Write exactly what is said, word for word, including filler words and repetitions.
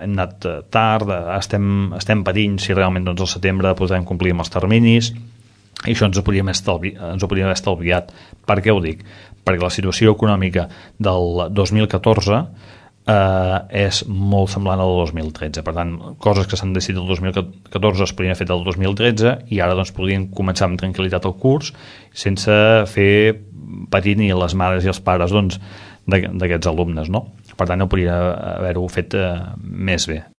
hem anat tard, estem, estem patint si realment doncs, al setembre podrem complir amb els terminis, i això ens ho podríem estalvi, ens ho podríem haver estalviat. Per què ho dic? Perquè la situació econòmica del dos mil catorze eh, és molt semblant a la del dos mil tretze. Per tant, coses que s'han decidit el dos mil catorze es podrien haver fet el dos mil tretze i ara doncs, podrien començar amb tranquil·litat el curs sense fer patir ni les mares i els pares doncs, d'aquests alumnes, no? Per tant, no podria haver-ho fet eh, més bé.